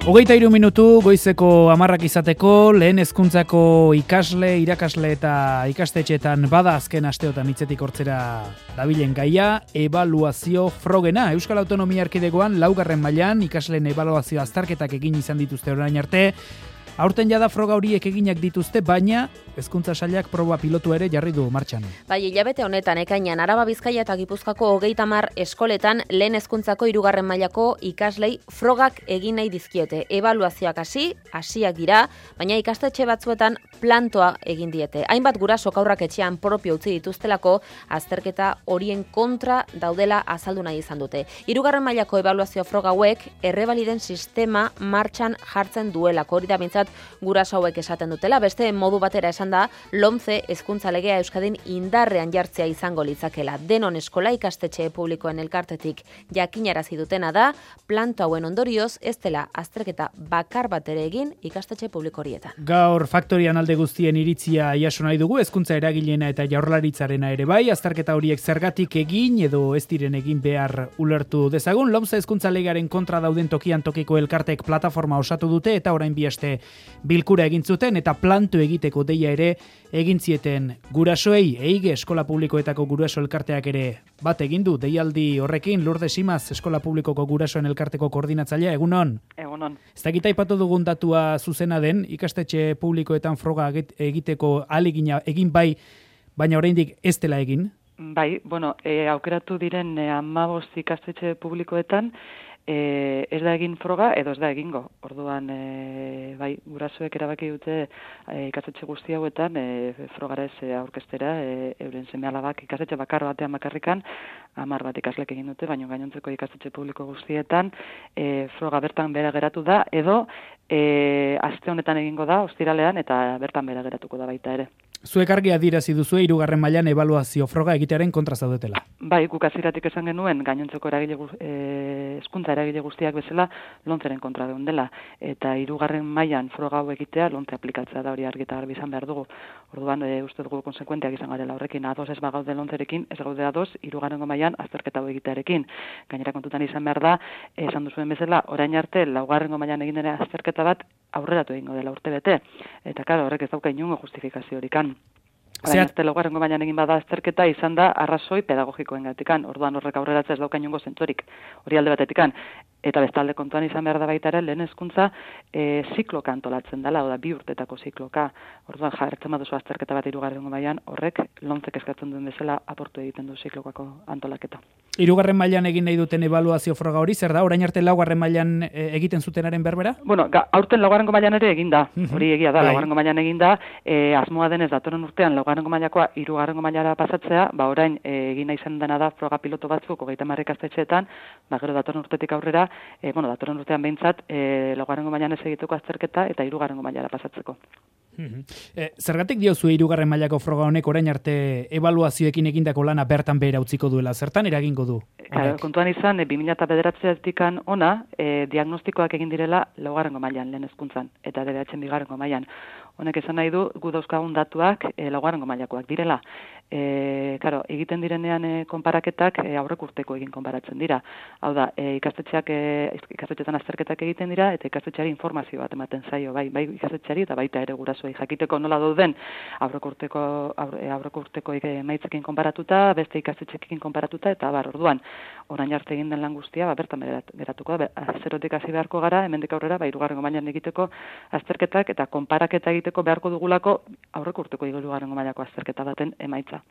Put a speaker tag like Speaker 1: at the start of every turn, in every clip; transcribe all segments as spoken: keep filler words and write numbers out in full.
Speaker 1: Hogeita hiru minutu goizeko hamarrak izateko, lehen hezkuntzako ikasle, irakasle eta ikastetxeetan bada azken asteotan hitzetik hortzera dabilen gaia, ebaluazio frogena. Euskal Autonomia Erkidegoan laugarren mailan ikasleen ebaluazio azterketak egin izan dituzte orain arte. Aurten jada froga horiek eginak dituzte, baina hezkuntza sailak proba pilotu ere jarri du martxan.
Speaker 2: Bai, hilabete honetan ekainean Araba, Bizkaia eta Gipuzkoako hogeita hamar eskoletan lehen hezkuntzako hirugarren mailako ikaslei frogak egin nahi dizkiete. Ebaluazioak hasi, hasiak dira, baina ikastetxe batzuetan plantoa egin diete. Hainbat gurasok haurrak etxean propio utzi dituztelako azterketa horien kontra daudela azaldu nahi izan dute. Hirugarren mailako ebaluazio froga hauek errebaliden sistema martxan jartzen duelako, hori da behintzat guraso hauek esaten dutela. Beste modu batera esan da, LOMCE hezkuntza legea Euskadin indarrean jartzea izango litzakela. Denon eskola ikastetxe publikoen elkartetik jakinarazi dutena da, planto hauen ondorioz ez dela azterketa bakar bat ere egin ikastetxe publiko horietan.
Speaker 1: Gaur faktorian alde guztien iritzia jaso nahi dugu, hezkuntza eragilena eta jaurlaritzarena ere bai, azterketa horiek zergatik egin edo ez diren egin behar ulertu dezagun. LOMCE hezkuntza legearen kontra dauden tokian tokiko elkartek plataforma osatu dute eta orain bi aste bilkura egin zuten eta planto egiteko deia ere egin zieten gurasoei. Eige eskola publikoetako guraso elkarteak ere bat egin du deialdi horrekin. Lourdes Simaz, eskola publikoko gurasoen elkarteko koordinatzailea, egunon.
Speaker 3: Egunon.
Speaker 1: Ez dakit aipatu dugun datua zuzena den, ikastetxe publikoetan froga egiteko ahalegina egin bai, baina oraindik ez dela egin?
Speaker 3: Bai, bueno, e, aukeratu diren e, hamabost ikastetxe publikoetan E, ez da egin froga edo ez da egingo. Orduan, e, bai, gurasoek erabaki dute e, ikastetxe guzti hauetan e, frogara ez aurkeztera, e, euren seme-alabak ikastetxe bakar batean bakarrikan, hamar bat ikaslek egin dute, baina gainontzeko ikastetxe publiko guztietan e, froga bertan bera geratu da, edo e, aste honetan egingo da, ostiralean, eta bertan bera geratuko da baita ere.
Speaker 1: Zuek argi adierazi duzu hirugarren mailan ebaluazio froga egitearen kontra zaudetela.
Speaker 3: Bai, guk hasieratik esan genuen gainontzeko eragile hezkuntza eragile guztiak bezala LOMCEren kontra geundela, eta hirugarren mailan froga hau egitea LOMCE aplikatzea da, hori argi eta garbi izan behar dugu. Orduan, e, uste dugu konsekuenteak izan garela horrekin, ados ez bagaude LOMCErekin, ez gaude ados hirugarrengo mailan azterketa hau egitearekin. Gainera kontutan izan behar da, esan duzuen bezala, orain arte laugarrengo mailan egin dena azterketa bat aurreratu egingo dela urte bete, eta claro, horrek ez dauka inongo justifikaziorik. Orain arte laugarrengo mailan egin bada azterketa izan da arrazoi pedagogikoengatikan. Orduan horrek aurreratzea ez dauka inongo zentzurik, hori alde batetikan. Eta bestalde kontuan izan behar da baita ere, lehen hezkuntza e, zikloka antolatzen dela, oda bi urtetako zikloka. Orduan jartzen baduzu azterketa bat hirugarrengo mailan, horrek LOMCEk eskatzen duen bezala aportu egiten du ziklokako antolaketa.
Speaker 1: Hirugarren mailan egin nahi duten ebaluazio froga hori, zer da? Orain arte laugarren mailan e, egiten zutenaren berbera?
Speaker 3: Bueno, ga, aurten laugarrengo mailan ere egin da, hori egia da, laugarrengo mailan egin da, e, asmoa denez datorren urtean laugarrengo mailakoa hirugarrengo mailara pasatzea, ba orain e, egin nahi izan dena da froga piloto batzuk hogeita hamar ikastetxeetan, ba gero datorren urtetik aurrera, e, bueno, datorren urtean behintzat, e, laugarrengo mailan ez egiteko azterketa eta hirugarrengo mailara pasatzeko.
Speaker 1: E, zergatik diozu hirugarren mailako froga honek orain arte ebaluazioekin egindako lana bertan behera utziko duela? Zertan eragingo du?
Speaker 3: Claro, kontuan izan, e, bi mila bederatzitik ona, e, diagnostikoak egin direla laugarrengo mailan lehen hezkuntzan eta D B H bigarrengo mailan. Honek esan nahi du, gu dauzkagun datuak e, laugarrengo mailakoak direla. E, claro, egiten direnean e, konparaketak e, aurrek urteko egin konparatzen dira. Hau da, e, ikastetxeak e, ikastetxetan azterketak egiten dira eta ikastetxeari informazio bat ematen zaio, bai, bai ikastetxeari eta baita ere gurasoei jakiteko nola dauden aurrek urteko aurre, aurrek urteko emaitzekin konparatuta, beste ikastetxeekin konparatuta eta bar, orduan, orain arte egin den lan guztia, ba bertan geratuko da, zerotik hasi beharko gara, hemendik aurrera, ba hirugarrengo mailan egiteko azterketak eta konparaketa egiteko beharko dugulako aurrek urteko hirugarrengo mailako azterketa baten emaitza.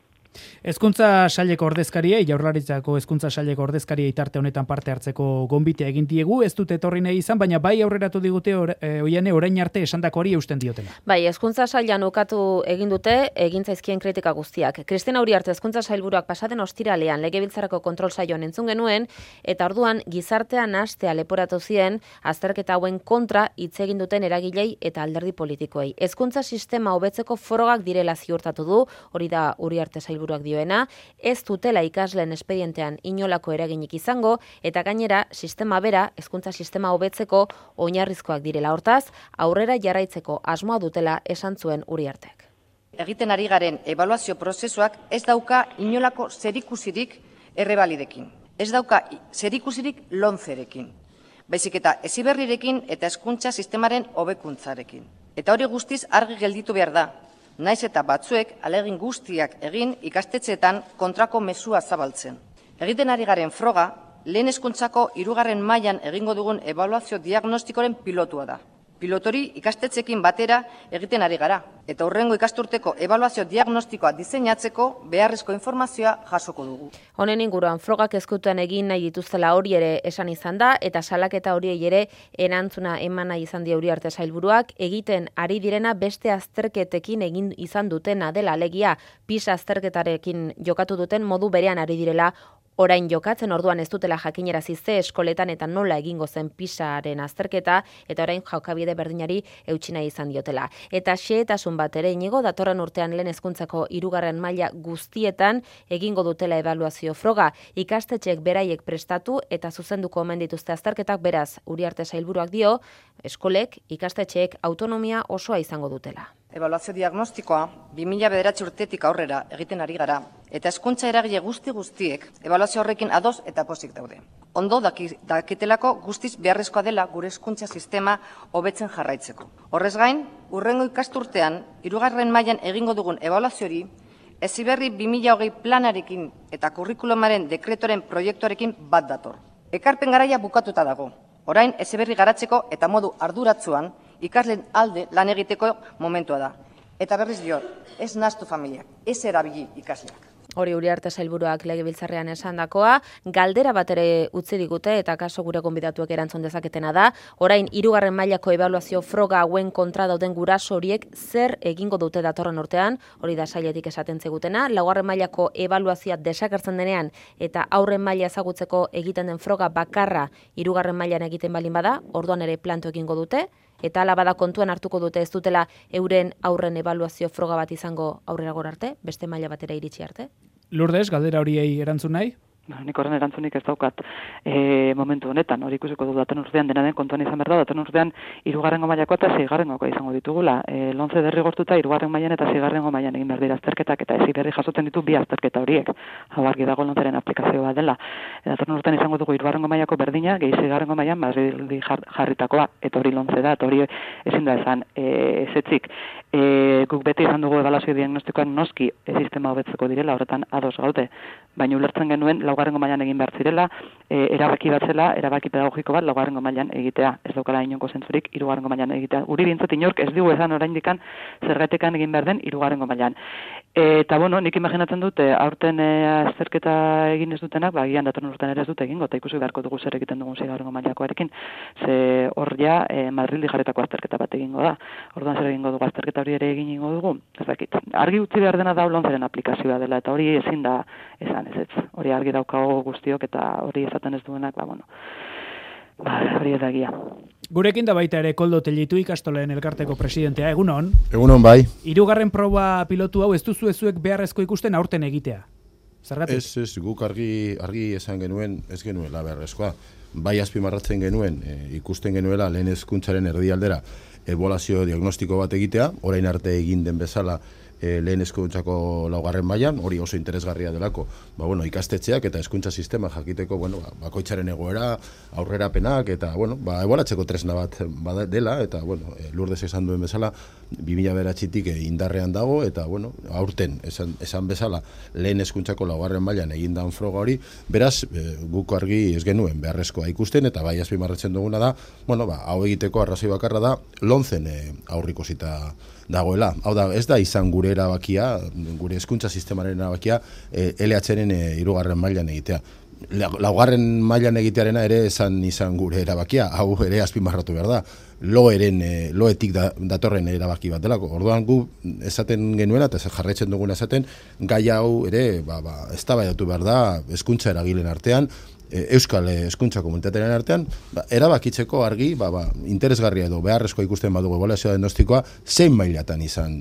Speaker 1: Hezkuntza saileko ordezkariei, Jaurlaritzako hezkuntza saileko ordezkariei tarte honetan parte hartzeko gonbitea egin diegu, ez dute etorri nahi izan, baina bai aurreratu digute or, e, oiane orain arte esandako hori eusten diotela.
Speaker 2: Bai, hezkuntza sailan ukatu egin dute egin zaizkien kritika guztiak. Kristina Uriarte hezkuntza sailburuak pasaden ostiralean legebiltzarako kontrol saioan entzun genuen eta orduan gizartean hastea leporatu zien azterketa hauen kontra hitz egin duten eragilei eta alderdi politikoei. Hezkuntza sistema hobetzeko frogak direla ziurtatu du, hori da Uriarte sailburuak dioena, ez dutela ikasleen espedientean inolako eraginik izango eta gainera sistema bera, hezkuntza sistema hobetzeko oinarrizkoak direla. Hortaz, aurrera jarraitzeko asmoa dutela esan zuen Uriartek.
Speaker 4: Egiten ari garen ebaluazio prozesuak ez dauka inolako zerikusirik errebalidekin. Ez dauka zerikusirik LOMCErekin. baizik eta heziberrirekin eta hezkuntza sistemaren hobekuntzarekin. Eta hori guztiz argi gelditu behar da, naiz eta batzuek ahalegin guztiak egin ikastetxeetan kontrako mezua zabaltzen. Egiten ari garen froga, lehen hezkuntzako hirugarren mailan egingo dugun ebaluazio diagnostikoren pilotua da. Pilotori ikastetxeekin batera egiten ari gara, eta hurrengo ikasturteko ebaluazio diagnostikoa diseinatzeko beharrezko informazioa jasoko dugu.
Speaker 2: Honen inguruan frogak ezkutuan egin nahi dituztela hori ere esan izan da, eta salaketa horiei ere erantzuna eman nahi izan die Uriarte sailburuak, egiten ari direna beste azterketekin egin izan dutena dela, alegia PISA azterketarekin jokatu duten modu berean ari direla orain jokatzen, orduan ez dutela jakinerazi ze eskoletan eta nola egingo zen PISAren azterketa, eta orain jokabide berdinari eutsi nahi izan diotela. Eta xehetasun bat ere inigo, datorren urtean lehen hezkuntzako hirugarren maila guztietan egingo dutela ebaluazio froga, ikastetxeek beraiek prestatu eta zuzenduko omen dituzte azterketak, beraz, Uriarte sailburuak dio, eskolek, ikastetxeek autonomia osoa izango dutela.
Speaker 4: Ebaluazio diagnostikoa bi mila bederatzi urtetik aurrera egiten ari gara, eta hezkuntza eragile guzti guztiek ebaluazio horrekin ados eta pozik daude. Ondo dakitelako guztiz beharrezkoa dela gure hezkuntza sistema hobetzen jarraitzeko. Horrez gain, hurrengo ikasturtean, hirugarren mailan egingo dugun ebaluazio hori, Heziberri bi mila hogei planarekin eta kurrikulumaren dekretoren proiektuarekin bat dator. Ekarpen garaia bukatuta dago. Orain Heziberri garatzeko eta modu arduratsuan ikasleen alde lan egiteko momentua da. Eta berriz diot, ez nahastu familiak, ez erabili ikasleak.
Speaker 2: Hori Uriarte sailburuak legebiltzarrean esandakoa, galdera bat ere utzi digute eta kaso gure gonbidatuek erantzun dezaketena da. Orain hirugarren mailako ebaluazio froga hauen kontra dauden guraso horiek zer egingo dute datorren urtean, hori da sailetik esaten zegutena. Laugarren mailako ebaluazioa desagertzen denean eta aurren maila ezagutzeko egiten den froga bakarra hirugarren mailan egiten balin bada, orduan ere planto egingo dute. Eta ala bada kontuan hartuko dute ez dutela euren aurren ebaluazio froga bat izango aurrera gora arte, beste maila batera iritsi arte.
Speaker 1: Lourdes, galdera horiei erantzun nahi?
Speaker 3: Nik horren erantzunik ez daukat e, momentu honetan, hori ikusiko du datorren urtean dena den kontuan izan behar da, datorren urtean hirugarrengo mailakoa eta seigarrengoa izango ditugula. E, lonce derrigortuta hirugarren mailan eta seigarrengo mailan egin behar dira azterketak eta Heziberri jasotzen ditu bi azterketa horiek. Hau argi dago lonceren aplikazio bat dela. E, datorren urtean izango dugu hirugarrengo mailako berdina, gehi seigarrengo mailan Madridi jarritakoa, eta hori lonce da, eta hori ezin da esan e, ezetzik. E, guk beti izan dugu ebaluazio diagnostikoak noski e, sistema hobetzeko direla, horretan ados gaude, baina ulertzen genuen laugarrengo mailan egin behar zirela, e, erabaki bat zela, erabaki pedagogiko bat laugarrengo mailan egitea. Ez daukala inongo zentzurik hirugarrengo mailan egitea. Uri bintzat inork ez digu esan oraindikan zergaitekan egin behar den hirugarrengo mailan. E, eta bueno, nik imaginatzen dut, e, aurten e, azterketa egin ez dutenak, ba, gian datorren urtean ere ez dute egingo, eta ikusi beharko dugu zer egiten dugun seigarrengo mailakoarekin, ze hor ja e, Madrildi jarretako azterketa bat egingo da. Orduan zer egingo dugu azterketa hori ere egin dugu, ez dakit. Argi utzi behar dena da lonceren aplikazioa dela, eta hori ezin da esan ez ez. Hori argi daukago guztiok eta hori esaten ez duenak, ba, bueno, ba, hori ez da gia.
Speaker 1: Gurekin da baita ere Koldo Tellitu ikastoleen elkarteko presidentea, egunon?
Speaker 5: Egunon bai.
Speaker 1: Hirugarren proba pilotu hau ez duzu ezuek beharrezko ikusten aurten egitea? Zergatik?
Speaker 5: Ez, ez, guk argi, argi esan genuen, ez genuela beharrezkoa. Bai azpimarratzen genuen, e, ikusten genuela lehen hezkuntzaren erdialdera ebaluazio diagnostiko bat egitea, orain arte egin den bezala e, lehen hezkuntzako laugarren mailan, hori oso interesgarria delako, ba, bueno, ikastetxeak eta hezkuntza sistema jakiteko, bueno, ba, bakoitzaren egoera, aurrerapenak eta bueno, ba, ebaluatzeko tresna bat bada dela eta bueno, e, Lourdes esan duen bezala bi mila bederatzitik indarrean dago eta bueno, aurten esan, esan bezala lehen hezkuntzako laugarren mailan egin dan froga hori, beraz e, guk argi ez genuen beharrezkoa ikusten eta bai azpimarratzen duguna da, bueno, ba, hau egiteko arrazoi bakarra da loncen e, aurrikusita dagoela. Hau da, ez da izan gure erabakia, gure hezkuntza sistemaren erabakia e, L H-ren e, hirugarren mailan egitea. Laugarren mailan egitearena ere esan izan gure erabakia, hau ere azpimarratu behar da. Loeren, e, loetik da, datorren erabaki bat delako. Orduan gu esaten genuela eta jarraitzen duguna esaten, gai hau ere ba, ba, eztabaidatu behar da hezkuntza eragileen artean, Euskal hezkuntza komunitatearen artean, ba, erabakitzeko argi, ba, ba, interesgarria edo beharrezkoa ikusten badugu ebaluazio diagnostikoa, zein mailatan izan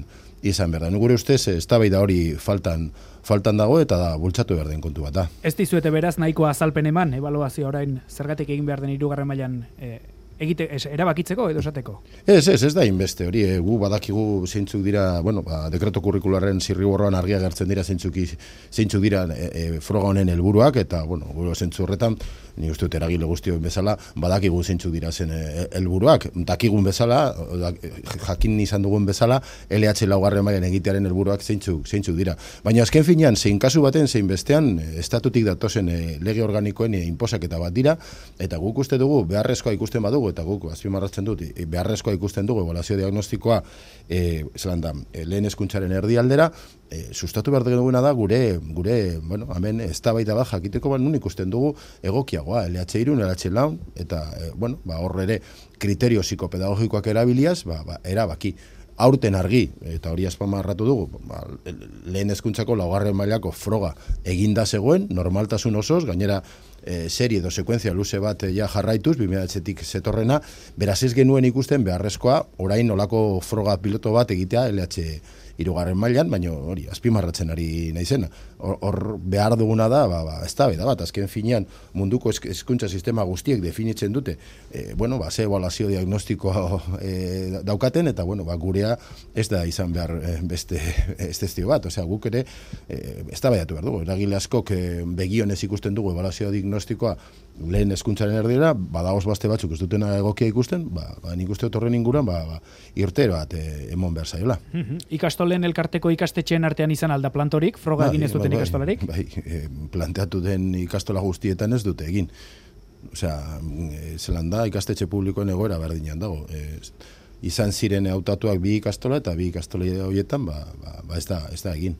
Speaker 5: izan behar da. Gure ustez, eztabaida hori faltan faltan dago eta da bultzatu behar den kontu bat da.
Speaker 1: Ez dizuete beraz nahiko azalpen eman, ebaluazio orain zergatik egin behar den hirugarren mailan e, egite, ez, erabakitzeko edo esateko?
Speaker 5: Ez, ez, ez da inbeste, hori, e, gu badakigu zeintzuk dira, bueno, ba, dekreto kurrikularen zirriborroan argia gertzen dira zeintzuk, zeintzuk dira e, e, froga honen helburuak, eta, bueno, gure zentzu horretan, ni uste dut eragile guztioen bezala, badakigu zeintzuk dira zen helburuak, dakigun bezala, jakin izan dugun bezala, L H laugarren mailan egitearen helburuak zeintzuk, zeintzuk dira. Baina azken finean, zein kasu baten, zein bestean, estatutik datozen e, lege organikoen e, inposaketa bat dira, eta guk uste dugu, beharrezkoa ikusten badugu, eta guk azpimarratzen dut, e, beharrezkoa ikusten dugu, ebaluazio diagnostikoa, e, zelan da, e, lehen hezkuntzaren erdialdera, E, sustatu behar duguna da gure, gure bueno, hemen eztabaida bat jakiteko bat nun ikusten dugu egokiagoa, L H hiru, L H lau, eta e, bueno, ba, hor ere kriterio psikopedagogikoak erabiliaz, ba, ba, erabaki. Aurten argi, eta hori azpimarratu dugu, ba, lehen hezkuntzako laugarren mailako froga eginda zegoen, normaltasun osoz, gainera e, serie edo sekuentzia luze bat ja jarraituz, bi mila bederatzitik zetorrena, beraz ez genuen ikusten beharrezkoa, orain olako froga piloto bat egitea L H hirugarren mailan, baina hori azpimarratzen ari naizena. Hor, hor behar duguna da, ba, ba, eztabaida bat, azken finean munduko hezkuntza sistema guztiek definitzen dute, e, bueno, ba, ze ebaluazio diagnostikoa e, daukaten, eta bueno, ba, gurea ez da izan behar e, beste estestio bat, osea, guk ere e, eztabaidatu behar dugu, eragile askok e, begionez ikusten dugu ebaluazio diagnostikoa lehen hezkuntzaren erdira, badagoz baste batzuk ez dutena egokia ikusten, ba, ba, nik uste horren inguruan, ba, ba, irtero bat e, emon behar zaiola.
Speaker 1: Mm-hmm. Ikastolen elkarteko ikastetxeen artean izan alda plantorik, froga egin ez duten
Speaker 5: bai,
Speaker 1: ikastolarik?
Speaker 5: Bai, e, planteatu den ikastola guztietan ez dute egin. Osea, e, zelan da, ikastetxe publikoen egoera berdinean dago. E, izan ziren hautatuak bi ikastola eta bi ikastola horietan, ba, ba, ba ez, da, ez da egin.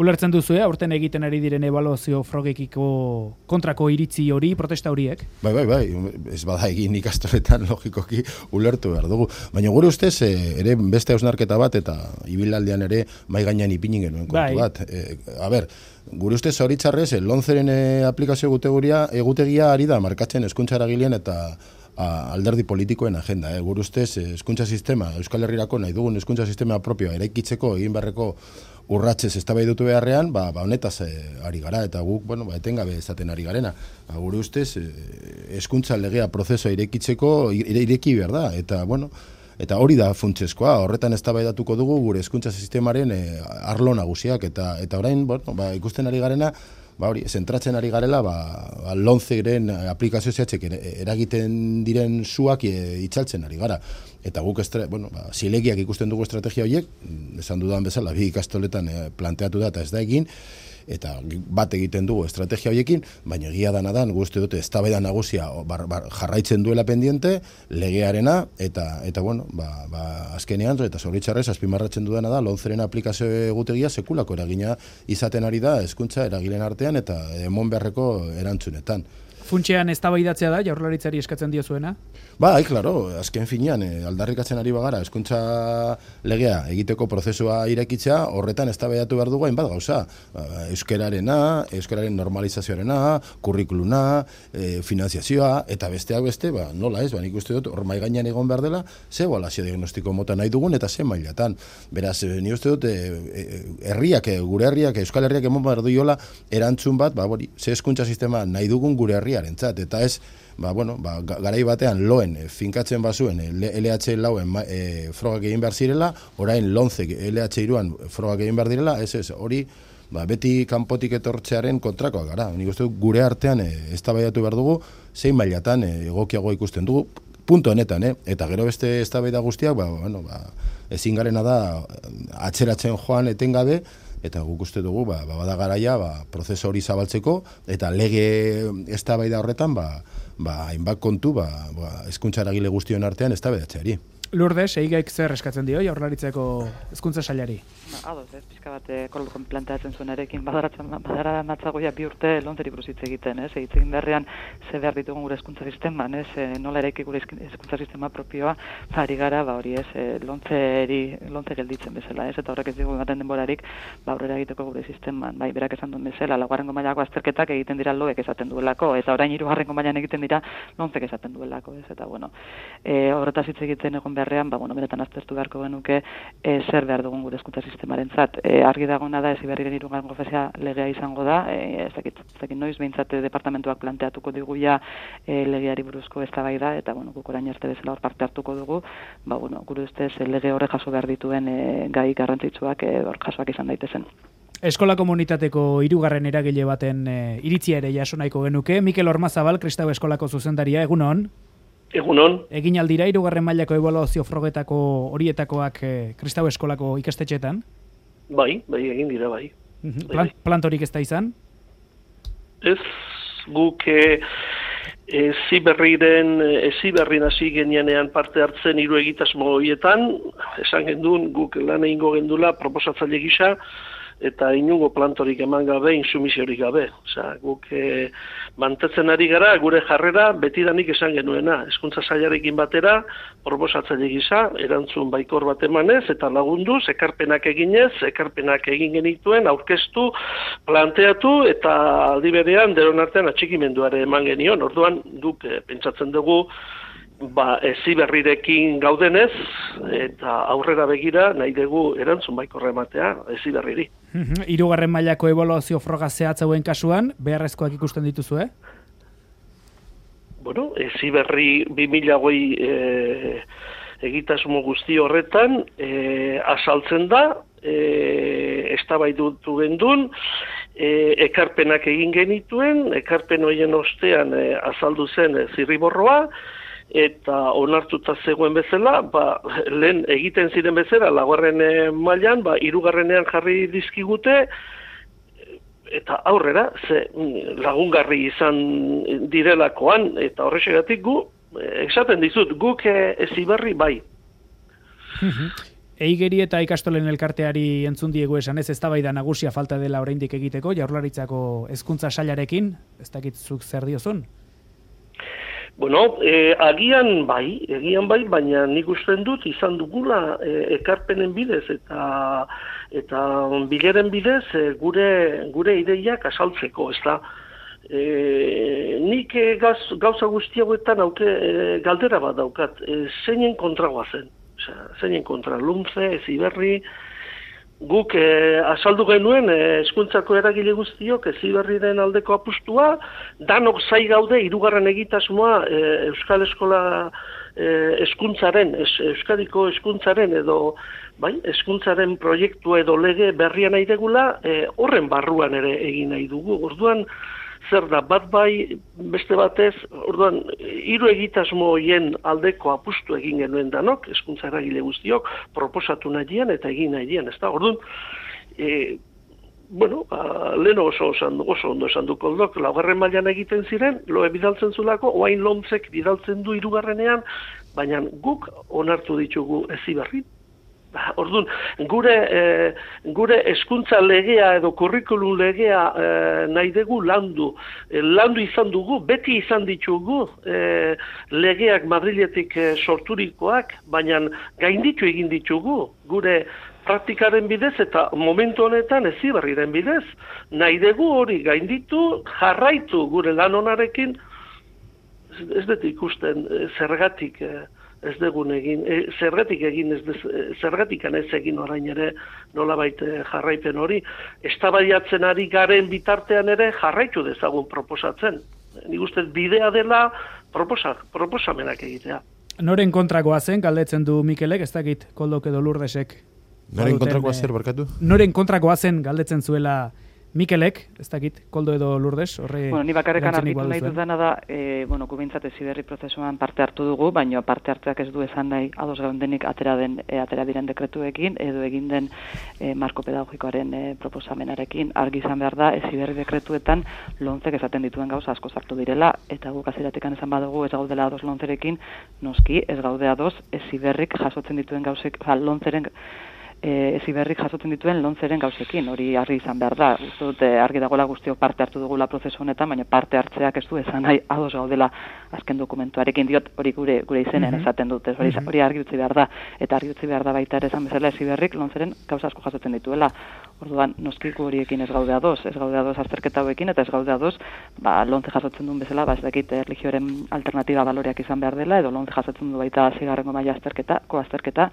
Speaker 1: Ulertzen duzu, aurten egiten ari diren ebaluazio frogekiko kontrako iritzi hori, protesta horiek?
Speaker 5: Bai, bai, bai, ez bada egin ikastoletan logikoki ulertu behar dugu. Baina gure ustez, ere beste hausnarketa bat, eta ibilaldean ere mai gainean ipinin genuen kontu
Speaker 1: bai.
Speaker 5: bat. E, a ber, gure ustez zoritxarrez, lonzeren aplikazio egutegia, egutegia ari da markatzen hezkuntza eragileen eta a, alderdi politikoen agenda. Eh? Gure ustez, hezkuntza sistema, Euskal Herrirako nahi dugun hezkuntza sistema propioa eraikitzeko egin beharreko urratzez eztabaidutu beharrean, ba, ba honetaz e, ari gara, eta guk, bueno, ba, etengabe ezaten ari garena. Ba, gure ustez, hezkuntza legea prozesua irekitzeko, ire, ireki behar da, eta, bueno, eta hori da funtsezkoa, horretan eztabaidatuko dugu gure hezkuntza sistemaren e, arlo nagusiak, eta eta orain, bueno, ba, ikusten ari garena, ba hori, zentratzen ari garela, ba, ba lonzeren aplikazio zehatzek eragiten diren zuak e, itzaltzen ari gara. Eta guk, estra, bueno, ba, zilegiak ikusten dugu estrategia horiek, esan dudan bezala, bi ikastoletan e, planteatu da eta ez da egin, eta bat egiten dugu estrategia horiekin, baina egia dana da, guzti dute eztabaida nagusia bar, bar, jarraitzen duela pendiente, legearena, eta, eta bueno, ba, ba, azkenean, eta zoritxarrez, azpimarratzen dudana da, lonzeren aplikazio egutegia sekulako eragina izaten ari da, hezkuntza eragileen artean, eta emon beharreko erantzunetan.
Speaker 1: Funtsean eztabaidatzea da, Jaurlaritzari eskatzen diozuena?
Speaker 5: Bai, claro, azken finean, eh, aldarrikatzen ari bagara, hezkuntza legea egiteko prozesua irekitzea, horretan eztabaidatu behar dugu hainbat gauza. Euskararena, euskararen normalizazioarena, kurrikuluna, e, finanziazioa, eta besteak beste, ba, nola ez, ba, nik uste dut, hor mai gainean egon behar dela, ze ebaluazio diagnostiko mota nahi dugun, eta ze mailatan. Beraz, e, nik uste dut, e, herriak, e, gure herriak, Euskal Herriak emon behar duiola, erantzun bat, ba, bori, ze hezkuntza sistema nahi dugun gure herriak arentzat, eta ez, ba, bueno, ba, garai batean loen e, finkatzen bazuen e, L H lauen e, frogak egin behar zirela, orain lonzek L H hiruan frogak egin behar direla, ez ez, hori ba, beti kanpotik etortzearen kontrakoa gara. Nik uste gure artean e, eztabaidatu behar dugu, zein mailatan e, egokiago ikusten dugu, punto honetan, eh? Eta gero beste eztabaida guztiak, ba, bueno, ba, ezin garena da atzeratzen joan etengabe, eta guk uste dugu, ba, ba, bada garaia, ba, prozesu hori zabaltzeko, eta lege eztabaida horretan, ba, ba, hainbat kontu, ba, ba, hezkuntza eragile guztion artean eztabaidatzeari.
Speaker 1: Lourdes, eigaik zer eskatzen dio Jaurlaritzako hezkuntza sailari?
Speaker 3: Ados, ez, pixka bat kolokon planteatzen zuen erekin, badara matzagoia bi urte lontzeri buruz hitz egiten, ez, hitz egin beharrean ze behar ditugun gure hezkuntza sisteman, ez, nola eraiki gure hezkuntza sistema propioa, ari gara, ba hori ez, lontzeri, lontze gelditzen bezala, ez, eta horrek ez dugu ematen denborarik, ba aurrera egiteko gure sisteman, bai, berak esan duen bezala, laugarrengo mailako azterketak egiten dira loek esaten duelako, eta orain hirugarrengo mailan egiten dira lontzek esaten duelako, ez, eta bueno, e, horretaz hitz egiten egon behar beharrean, ba, bueno, benetan aztertu beharko genuke e, zer behar dugun gure hezkuntza sistemarentzat. E, argi dagoena da Heziberriren hirugarren konferentzia legea izango da, e, ez dakit, ez dakit noiz behintzat departamentuak planteatuko digu ja e, legeari buruzko eztabaida eta bueno, guk orain arte bezala hor parte hartuko dugu, ba bueno, gure ustez e, lege horrek jaso behar dituen e, gai garrantzitsuak e, hor jasoak izan daitezen.
Speaker 1: Eskola komunitateko hirugarren eragile baten e, iritzia ere jaso nahiko genuke. Mikel Ormazabal, Kristau Eskolako zuzendaria, egunon.
Speaker 6: Egunon.
Speaker 1: Egin aldira hirugarren mailako ebaluazio frogetako horietakoak e, Kristau Eskolako ikastetxetan?
Speaker 6: Bai, bai, egin dira, bai.
Speaker 1: Plan, plantorik ez da izan?
Speaker 6: Ez, guk e, e, ziberriren, e, ziberrin hasi genean parte hartzen hiru egitasmo horietan, esan gendun, guk lan egingo gendula proposatzaile gisa, eta inungo plantorik eman gabe, insumisiorik gabe. Osea, guk e, mantetzen ari gara, gure jarrera betidanik esan genuena. Hezkuntza sailarekin batera, proposatzaile gisa, erantzun baikor bat emanez, eta lagunduz, ekarpenak eginez, ekarpenak egin genituen, aurkeztu, planteatu, eta aldi berean, deron artean atxikimenduare eman genion. Orduan, guk e, pentsatzen dugu, ba, Heziberrirekin gaudenez, eta aurrera begira nahi dugu erantzun baikorra ematea Heziberriri.
Speaker 1: Hirugarren mailako ebaluazio froga zehatz hauen kasuan, beharrezkoak ikusten dituzu, eh?
Speaker 6: Bueno, Heziberri bi mila hogei e, egitasmo guzti horretan e, azaltzen da, e, eztabaidutu gendun, e, ekarpenak egin genituen, ekarpen horien ostean e, azaldu zen e, zirriborroa, eta onartuta zegoen bezala, ba, lehen egiten ziren bezala, laugarren mailan, ba, hirugarrenean jarri dizkigute, eta aurrera, ze lagungarri izan direlakoan, eta horrexegatik gu, esaten dizut, guk Heziberri bai.
Speaker 1: Eigeri eta ikastolen elkarteari entzun diegu esan ez, eztabaida nagusia falta dela oraindik egiteko, Jaurlaritzako hezkuntza sailarekin, ez dakit zuk zer diozun?
Speaker 6: Bueno, eh, agian bai, egian bai, baina nik usten dut izan dugula eh, ekarpenen bidez eta eta bileren bidez eh, gure gure ideiak azaltzeko, ezta. Eh, nik eh, gaz, gauza guzti hauetan auke eh, galdera bat daukat, eh, zeinen kontragoa zen. Osea, zeinen kontra Lumce, Heziberri, guk eh, azaldu genuen hezkuntzako eh, eragile guztiok Heziberriren aldeko apustua, danok zai gaude hirugarren egitasmoa eh, Euskal Eskola hezkuntzaren, eh, Euskadiko hezkuntzaren edo bai, hezkuntzaren proiektua edo lege berria nahi degula, eh, horren barruan ere egin nahi dugu. Orduan zer da, bat bai, beste batez, orduan, hiru egitasmo horien aldeko apustu egin genuen danok, hezkuntza eragile guztiok, proposatu nahian eta egin nahian, ez da? Orduan, e, bueno, a, lehen oso, oso, oso ondo esan du koldok, laugarren mailan egiten ziren, loe bidaltzen zulako, oain lomtzek bidaltzen du hirugarrenean, baina guk onartu ditugu Heziberri. Orduan, gure eh, gure hezkuntza legea edo kurrikulum legea eh, nahi dugu landu. Eh, landu izan dugu, beti izan ditugu eh, legeak Madriletik eh, sorturikoak, baina gainditu egin ditugu gure praktikaren bidez eta momentu honetan Heziberriren bidez. Nahi dugu hori gainditu, jarraitu gure lan onarekin, ez dut ikusten eh, zergatik eh, ez dugun egin, e, zergatik egin, ez dez, zergatikan ez egin orain ere nolabait jarraipen hori, eztabaidatzen ari garen bitartean ere jarraitu dezagun proposatzen. Nik uste bidea dela proposa, proposamenak egitea.
Speaker 1: Noren kontrakoa zen, galdetzen du Mikelek, ez dakit Koldok edo Lurdesek.
Speaker 5: Noren kontrakoa zer, barkatu?
Speaker 1: Noren kontrakoa zen, galdetzen zuela Mikelek, ez dakit, Koldo edo Lourdes, horre...
Speaker 3: Bueno, ni bakarrekan argitu nahi dudana da, e, bueno, gubintzat Heziberri prozesuan parte hartu dugu, baina parte hartzeak ez du esan nahi ados gaundenik atera, den, e, atera diren dekretuekin, edo egin den e, marko pedagogikoaren e, proposamenarekin. Argi izan behar da, Heziberri dekretuetan lontzek esaten dituen gauza asko sartu direla, eta guk aziratekan esan badugu ez gaudela ados lontzerekin, noski ez gaude ados Heziberrik jasotzen dituen gauzek, ba, lontzeren Heziberrik jasotzen dituen lontzeren gauzekin, hori argi izan behar da. Uste dut argi dagoela guztiok parte hartu dugula prozesu honetan, baina parte hartzeak ez du esan nahi ados gaudela azken dokumentuarekin, diot hori gure gure izenean uh-huh. esaten dute, hori, uh-huh. hori argi utzi behar da, eta argi utzi behar da baita ere esan bezala Heziberrik lontzeren gauza asko jasotzen dituela. Orduan, noski gu horiekin ez gaude ados, ez gaude ados azterketa hauekin, eta ez gaude ados, ba, lonze jasotzen duen bezala, ba, ez dakit erlijioaren alternatiba baloreak izan behar dela, edo lonze jasotzen du baita zigarrengo maila azterketa, ko azterketa,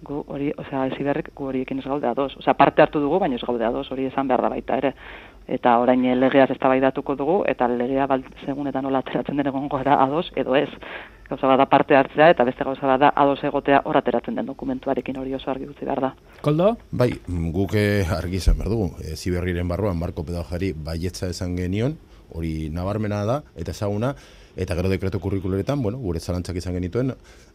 Speaker 3: gu hori, osea, eziberrik gu horiekin ez gaude ados. Osea, parte hartu dugu, baina ez gaude ados, hori esan behar da baita ere. Eta orain legeaz eztabaidatuko dugu, eta legea bal, segun eta nola ateratzen den egongo gara ados, edo ez. Gauza bada parte hartzea, eta beste gauza bada ados egotea hor ateratzen den dokumentuarekin, hori oso argi utzi behar da.
Speaker 1: Koldo?
Speaker 5: Bai, guk argi izan behar dugu. E, Ziberriren barruan Marko Pedagogari baietza esan genion, hori nabarmena da, eta ezaguna, eta gero dekreto kurrikuleretan, bueno, gure zalantzak izan genituen,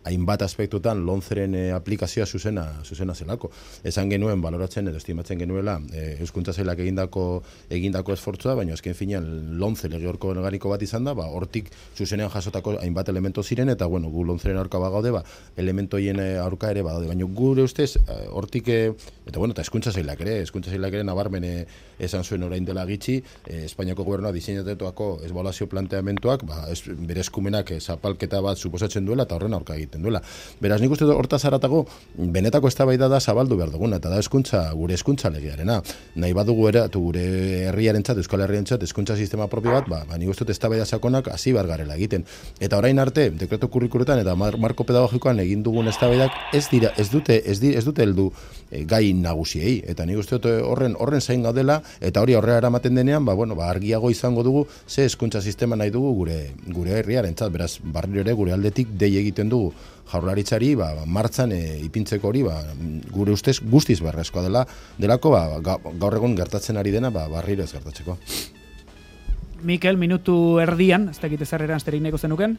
Speaker 5: hainbat aspektutan lonzeren e, aplikazioa zuzena, zuzena zelako. Esan genuen, baloratzen edo estimatzen genuela, e, Euskuntza Sailak egindako, egindako esfortzua, baina azken finean lonze lege organiko bat izan da, ba, hortik zuzenean jasotako hainbat elemento ziren, eta bueno, gu lonzeren aurka bagaude, ba, elementoien aurka ere badaude, baina gure ustez, hortik, e, eta bueno, eta Hezkuntza Sailak ere, Hezkuntza Sailak ere nabarmen e, esan zuen orain dela gitxi, e, Espainiako gobernua diseinatuako ebaluazio planteamentuak, ba, es, bere eskumenak e, zapalketa bat suposatzen duela, eta horren aurka egiten duela. Beraz, nik uste hortaz haratago, benetako eztabaida da zabaldu behar duguna, eta da hezkuntza, gure hezkuntza legearena. Nahi badugu eratu gure herriarentzat, Euskal Herriarentzat, hezkuntza sistema propio bat, ba, ba nik uste eztabaida sakonak hasi behar garela egiten. Eta orain arte, dekreto kurrikuletan eta marko pedagogikoan egin dugun eztabaidak ez dira, ez dute, ez dira, ez dute heldu e, gai nagusiei. Eta nik uste horren horren zain gaudela, eta hori aurrera eramaten denean, ba, bueno, ba, argiago izango dugu ze hezkuntza sistema nahi dugu gure gure herriarentzat. Beraz, barriro ere gure aldetik dei egiten dugu Jaurlaritzari, ba, martzan e, ipintzeko hori, ba, gure ustez guztiz beharrezkoa dela, delako, ba, gaur egun gertatzen ari dena, ba, barriro ez gertatzeko.
Speaker 1: Mikel, minutu erdian, ez dakit ezarreran azterik neko zenuken?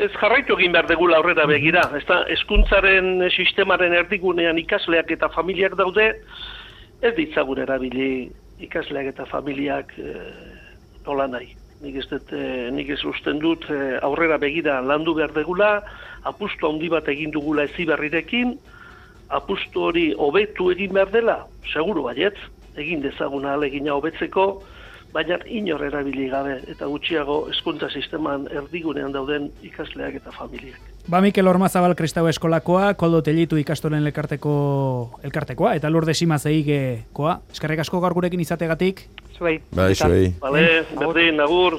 Speaker 6: Ez jarraitu egin behar degula aurrera begira. Ez da, hezkuntzaren sistemaren erdigunean ikasleak eta familiak daude, ez ditzagun erabili ikasleak eta familiak e, nola nahi. Nik ez, dut, eh, nik ez usten dut eh, aurrera begira landu behar degula, apustu handi bat egin dugula Heziberrirekin, apustu hori hobetu egin behar dela, seguru baietz, egin dezaguna ahalegina hobetzeko, baina inor erabili gabe eta gutxiago hezkuntza sisteman erdigunean dauden ikasleak eta familiak.
Speaker 1: Ba, Mikel Ormazabal Kristau Eskolakoa, Koldo Tellitu ikastolen elkarteko elkartekoa, eta Lurde Simaz Eigekoa. Eskerrik asko gaur gurekin izategatik.
Speaker 3: Zuei.
Speaker 5: Bai, zuei.
Speaker 6: Bale, berdin, agur.